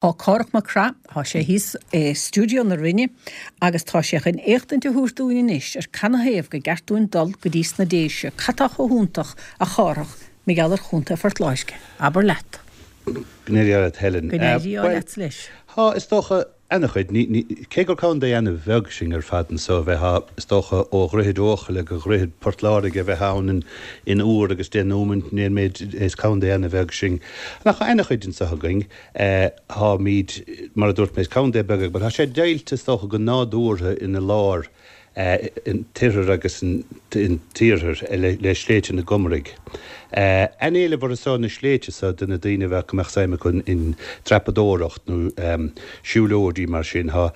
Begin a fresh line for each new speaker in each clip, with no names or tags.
Tá Cárthach Mac Craith, tá sé thíos i stiúideo na Rinne agus tá sé chun éachtaint a thabhairt dúinn anois ar canathaobh go gceart dúinn dul go dtí sna Déise. Cad tá chomh hiontach, a Chárthach, mar gheall ar Chontae Phort Láirge? Abair leat.
Go n-éirí leat, Helen.
Go n-éirí leatsa leis.
Tá, is dócha, ana-chuid. Cé gur contae ana-bheag sinn ar fad anso, bheifeá, is dócha, ó Dhroichead Eochaille go Dhroichead Port Láirge a bheith ann in uair agus deich nóimint, níl méid, is contae ana-bheag sinn. Ach tá ana-chuid anso againn. Táimid, mar a dúirt mé, is contae beag é, but tá sé deighilte, is dócha, go nádúrtha ina lár, an t-oirthear agus an t-iarthar le Sléibhte na gComaraigh. An-éileamh orthu so, na sléibhte so, do na daoine a bheadh, go mbeadh suim acu in dreapadóireacht nó siúlóidí mar sin. Tá.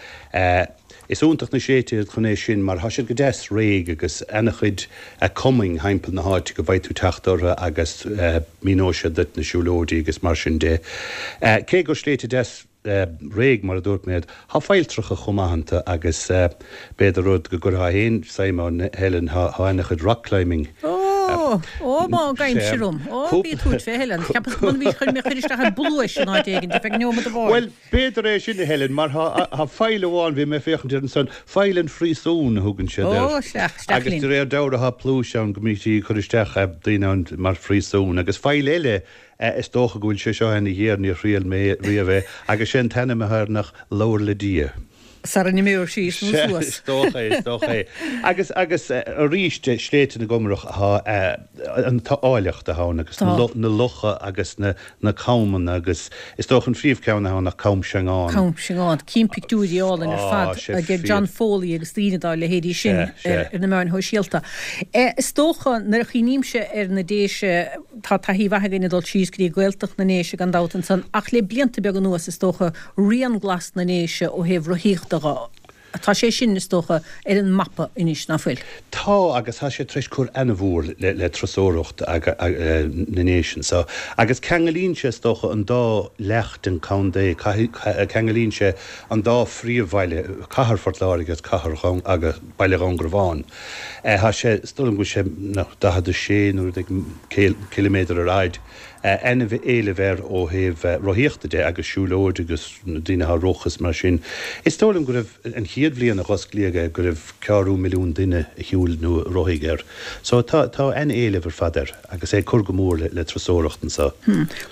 Is iontach na sléibhte iad chun é sin mar tá siad go deas réidh agus ana-chuid cumainn thimpeall na háite go bhfaighidh tú teacht orthu agus míneoidh siad duit na siúlóidí agus mar sin de. Cé gur sléibhte deas réidh mar a dúirt mé iad, tá failltreacha chomh maith iontu agus b'fhéidir rud go gcuirfeá féin suim ann Helen, tá ana-chuid rock climbing.
Ó! Ó má gabhaimse orm! Ó bí ag tabhairt fé Helen! Cheapas go mb'ionann chuir mé chuir isteach i bpluais in áit éigin ar feadh neomat amháin.
Bhuel, B'fhéidir é sin, a Helen, mar tá faill amháin, bhí mé ag féachaint air ansan, Faill an Phríosúin a thugann siad air.
Ó, isteach, isteach
Agus de réir dealraimh tá pluais ann go mbítí ag cur isteach daoine ann mar phríosún. Agus faill eile, is dócha go bhfuil sé seo ana-ghéar, níor thriail mé riamh é, agus sé an t-ainm atá air nach Labhair le Dia.
Sara n-imeoidh síos nó
suas. Is dócha é, is dócha é. Agus, agus arís, Sléibhte na gComarach, tá an áilleacht atá ann agus na locha agus na, na camhanna agus is dócha an phríomhcheann atá ann ach Cam Seangán.
Cam Seangán. Cím pictiúirí álainn ar fad ag John Foley agus daoine dá leithéidí sin ar na meáin shóisialta. Is dócha nuair a chuimhnímse ar na Déise, tá taithí mhaith againn ag dul síos go dtí Gaeltacht na nDéise gan dabht ansan ach le blianta beaga anuas is dócha Rian Glas na nDéise ó thaobh rothaíochta dho. Tá sé sin, is dócha, ar an mapa anois, ná fuil?
Tá, agus tá sé tar éis cur ana-mhór le turasóireacht na nDéise anso. Agus ceangailíonn sé, is dócha, an dá leath den chontae, ceangailíonn sé an dá phríomhbhaile, cathair Phort Láirge agus cathair agus baile Dhún Garbhán. Tá sé, is dóigh liom go bhfuil sé 46 nó rud éigin ciliméadar ar fhaid. An-éileamh air ó thaobh rothaíochta de agus siúlóid agus na daoine atá ag rotha is mar sin. Is dóigh liom go raibh, an chéad bhliain a dh'osclaíodh é, go raibh ceathrú milliún duine a shiúil nó a rothaigh air. So tá, tá an-éileamh ar fad air agus é ag cur go mór le, le turasóireacht anso.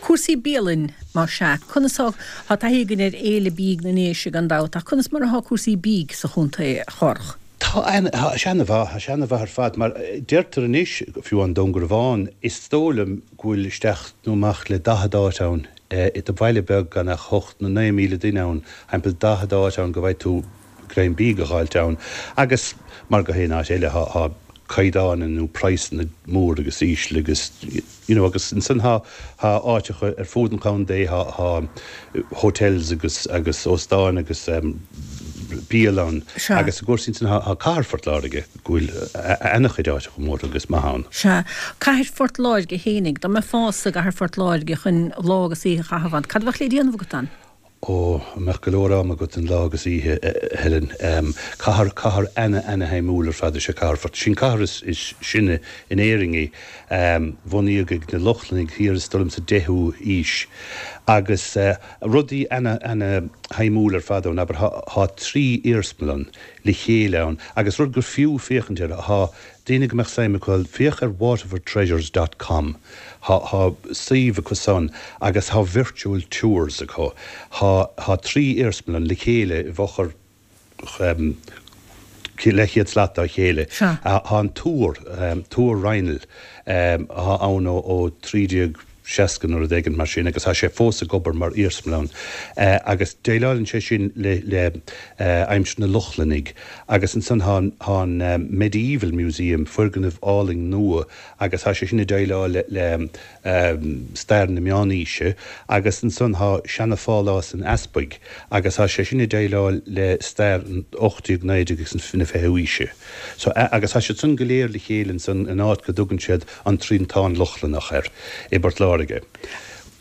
Cúrsaí bialainn, más ea, conas tá, tá taithí againn ar Fhéile Bídh na nDéise gan dabht ach conas mar atá cúrsaí bídh sa chontae, a Chárthach?
Tá an, tá sé ana-mhaith, tá sé ana-mhaith ar fad, mar deirtear anois, fiú i nDún Garbhán, is dóigh liom go bhfuil isteach nó amach le 40 áit ann, i do bhaile beag gan ach hocht nó 9,000 duine ann, thimpeall 40 áit ann go bhfaighidh tú greim bídh a dh'fháilt ann. Agus mar gach aon áit eile, tá, tá caighdeáin nó praghsanna mór agus íseal agus, you know agus ansan tá, tá áiteacha ar fud an chontae, tá, tá hotels agus, agus óstáin agus bialann
Sea.
agus i gcúrsaí ansan tá, tá cathair Phort Láirge go bhfuil ana-chuid áiteacha móra agus maith ann.
Sea. Cathair Phort Láirge fhéinig, dá mbeifeása i gcathair Phort Láirge chun lá agus oíche a chaitheamh ann, cad a bheadh le déanamh agat ann?
Ó, an mbeadh go leor ama agat an lá agus oíche, a Helen. Cathair, cathair ana-ana-shuimiúil ar fad is ea Cathair Phort. Sin cathair is, is sine in Éirinn í. Bunaíodh ag na Lochlannaigh thiar is dóigh liom sa deichiú haois. Agus rudaí ana-ana-shuimiúil ar fad ann, abair, thá, thá trí iarsmalann le chéile ann agus rud gur fiú féachaint air, thá daoine go mbeadh suim acu, féach ar waterfordtreasures dot com, thá, thá suíomh acu san agus thá virtual tours acu. Thá, thá trí iarsmalann le chéile i bhfochair leathchéad slat dá chéile.
Sea.
Thá an túr, Túr Raghnaill, athá ann ó, ó 1360 nó rud éigin mar sin agus thá sé fós ag obair mar iarsmalann agus déileálann sé sin le, le aimsir na Lochlannaigh agus ansan thá an, thá an Medieval Museum, foirgneamh álainn nua agus thá sé sin ag déileáil le, le stair na Meánaoise agus ansan thá seana-phálás an Easpaig agus thá sé sin ag déileáil le stair an 18ú, 19ú agus na 20ú aoise. So, agus thá siad san go léir le chéile ansan in áit go dtugann siad an Triantán Lochlannach air i bPort Láirge.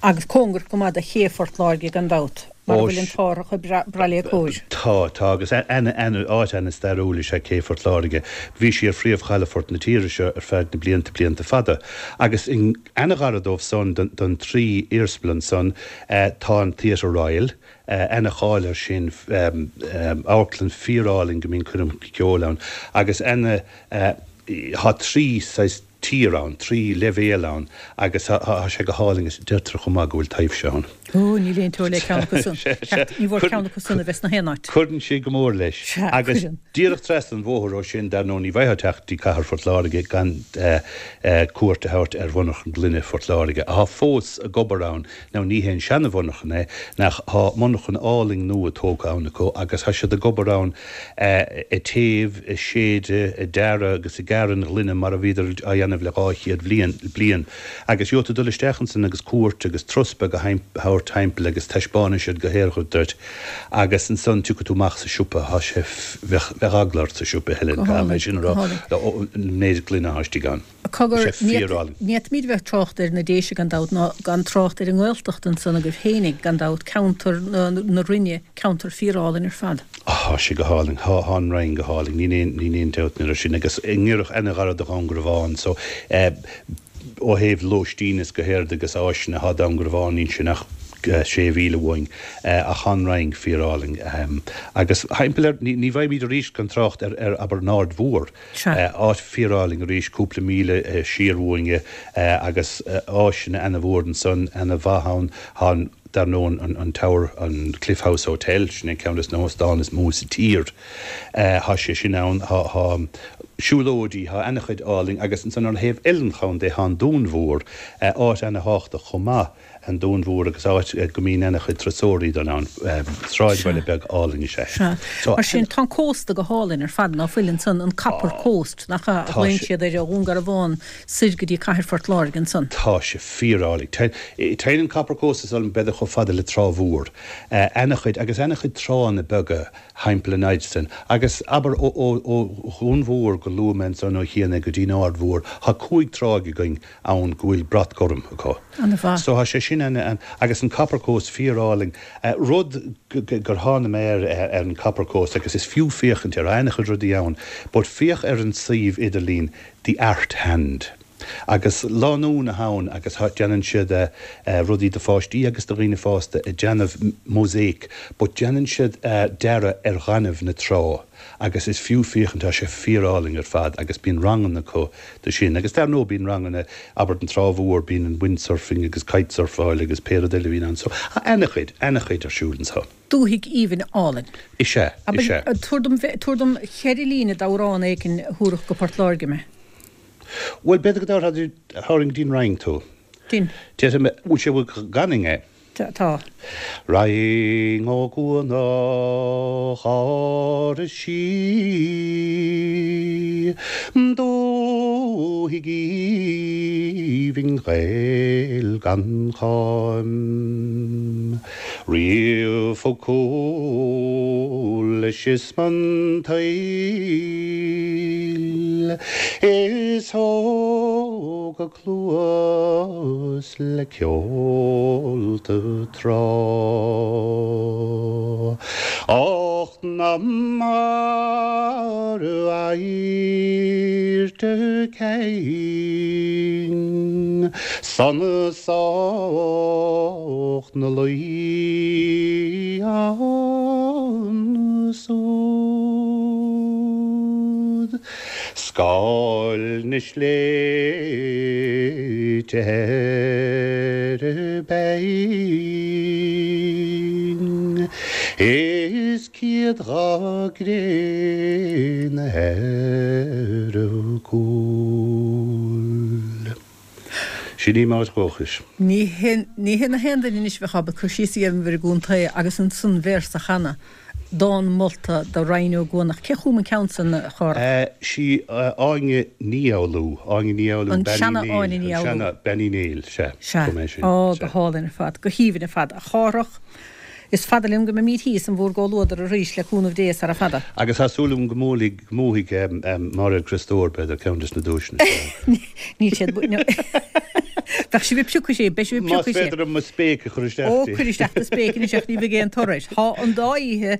Agus cóngarach go maith do ché Phort Láirge gan dabht, mar a bhfuil an t-árthach ag brath léi cóir.
Tá, tá, agus áit ana-stairiúil is ea Cé Phort Láirge. Bhí sí ar phríomh-chalafort na tíre seo ar feadh na blianta, blianta fada. Agus ana-ghar dóibh san, don trí iarsmalann san, tá an Theatre Royal. Ana-cháil air sin, amharclann fíorálainn go mbíonn coirmeacha ceoil ann agus ana, thá trí saghas tier ann, trí leibhéal ann agus thá sé go hálainn agus deirtear chomh maith go bhfuil taibhse ann.
Ó, níl aon teora le ceann acu san. Ceart, ní mhór ceann acu san a bheith sna haon áit.
Cuireann sé go mór leis.
Sea,
Agus
cuireann.
díreach trasna an bhóthair ó sin, dar ndóigh, ní bheifeá ag teacht dtí cathair Phort Láirge gan cuairt a thabhairt ar Mhonarchan Gloine Phort Láirge, athá fós ag obair ann. Now ní hé an seana-mhonarchan é, ach thá monarchan álainn nua tógtha ann acu agus thá siad ag obair ann ag téamh, ag séideadh, ag dearadh agus ag gearradh an ghloine mar a bhíodar á dhéanamh le 200 bhliain, bliain. Agus gheobhaidh tú dul isteach ansan agus cuairt agus turas beag a thabhairt thimpeall agus taispeánfaidh siad go léir duit agus ansan tiocfaidh tú amach sa siopa, thá sé, bheadh, bheadh eagla ort sa siopa, Helen,
Go
caithfidh mé
hálainn,
sin a
go
rá,
hálainn.
an méid gloine athá istigh ann.
Cogar,
Tá sé fíorálainn.
ní fhéadfaimid bheith ag trácht ar na Déise gan dabht ná gan trácht ar an nGaeltacht ansan agaibh fhéinig, gan dabht, ceantar na Rinne, ceantar fíorálainn ar fad.
Thá sé go hálainn. Thá, thá an Rinn go hálainn. Níl aon, níl aon dabht air sin. Agus i ngiorracht ana-ghairid do Dhún Garbhán so, eh, ó thaobh lóistín is go héard agus áiseanna thá Dún Garbhán níl sin ach sé mhíle uainn. Eh, ach thá an Rinn fíorálainn. Agus thimpeall air, ní, ní bheimid arís gan trácht ar, ar, abair, an Aird Mhór.
Sea.
Áit fíorálainn arís, cúpla míle siar uainne agus áiseanna ana-mhór ansan, ana-mhaith ann. Tá an, dar ndóigh, an Tower, an Cliff House Hotel, sin é ceann des na hóstáin is mó sa tír. Tá sé sin ann. Tá, tá siúlóidí, tá ana-chuid álainn agus ansan ar thaobh eile an chontae tá an Dún Mhór, áit ana-thábhachtach chomh maith. An Dún Mhór agus áit go mbíonn ana-chuid turasóirí dul ann. Sráidbhaile beag álainn is ea é.
Sea.
So.
Mar sin, tá an cósta go hálainn ar fad, ná fuil ansan, an Copper Coast, nach ea, a
Tá
ghlaonn
sé.
siad air ó Dhún Garbhán soir go dtí cathair Phort Láirge ansan.
Tá sé fíorálainn. Téann an Copper Coast is dóigh liom b'fhéidir chomh fada le Trá Mhór. Ana-chuid, agus ana-chuid tránna beaga thimpeall an fhaid san. Agus abair ó, ó, ó Dhún Mhór go luaigh mé ansan ó chian é go dtí an Aird Mhór, tá cúig tráigh againn ann go bhfuil brat gorm acu.
An-mhaith.
So tá sé sin ana, agus an Copper Coast fíorálainn. Rud gur thána mé air ar an Copper Coast agus is fiú féachaint air, ana-chuid rudaí ann, but féach ar an suíomh idirlín The Art Hand. Agus lánúin atá ann agus déanann siad rudaí do pháistí agus do dhaoine fásta ag déanamh mosaic but déanann siad dearadh ar ghaineamh na trá. Agus is fiú féachaint, tá sé fíorálainn ar fad agus bíonn ranganna acu do sin. Agus dar ndóigh bíonn ranganna, abair an Trá Mhór, bíonn an windsurfing agus kitesurfáil agus pé rud eile a bhíonn ann. So, tá ana-chuid, ana-chuid ar siúl anso.
Dúthaigh aoibhinn álainn.
Is ea, is ea.
Abair, tabhair dom, tabhair dom cheithre líne d'amhrán éigin a thabharfadh go Port Láirge mé.
Bhuel, b'fhéidir go dtabharfainn go dtí an Rinn tú.
Dinn.
Déarfaidh mé, bhfuil sé, bhfuil gan fhinn é?
Tá.
Roinn Ó gCuanach Áras Sí, Dúthaigh aoibhinn Ghael gan cháim, Riamh thug cúl is an tsaoil, Is thóg a cluas le ceolta trá. Ach na marbh adhairte céin san sách 'na luí ansúd. Scáil na sléibhte ar a beinn Is céadgha gréine ar a gcúl. Sin í m'áit dhóchais.
Ní hé na haon duine anois a bheadh ábalta cur síos a dhéanamh ar an gcontae agus ansan véarsa a chanadh. Dán molta do Rinn Ó gCuanach. Cé chum an ceann san, a Chárthach?
Sí Áine Ní Fhoghlú, Áine Ní Fhoghlú,
An
Bean Uí
seana
Néill,
Áine Ní
an
Fhoghlú.
seana Bean Uí Néill, sea,
Sea.
chum é sin,
Á, go
sea.
hálainn ar fad, go haoibhinn ar fad. A Chárthach, is fada liom go mbeimid thíos in bhúr gcomhluadar arís, le cúnamh Dé, sara fada.
Agus tá súil agam go mbuailfidh, go mbuafaidh Máiréad Criostóir, b'fhéidir, ceann des na duaiseanna seo.
Níl siad, Bheadh sibh ag piocadh sé, beidh sibh ag
Más
piocadh sé.
féidir liom mo spéic a chur isteach
Ó,
di.
cuir isteach do spéic anois ach ní bheidh aon toradh air. Tá an dá oíche,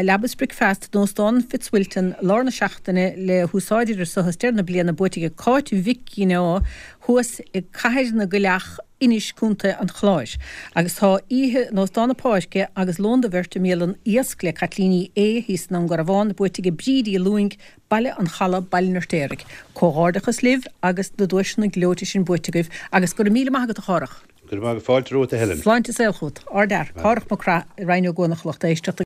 leaba is bricfeasta in Óstán Fitzwilton lár na seachtaine le húsáid idir seo is deireadh na bliana buaite ag Cáit Mhic Ginneá thuas i gCathair na gCoileach. Inis, Co. an Chláir. Agus tá oíche in Óstán na Páirce agus lón do bheirt i mbialann Iasc le Caitlín Uí Aodha thíos i nDún Garbhán buaite ag Bríd Uí Lúing, Baile an Chalaidh, Baile an Fheirtéaraigh. Comhghairdeachas libh agus na duaiseanna gleoite sin buaite agaibh agus go raibh míle maith agat a Chárthach.
Go raibh maith agat, fáilte romhat a Helen.
Sláinte is saol chugat. Ardfhear, Cárthach Mac Craith, i Raighneog an lucht éisteachta.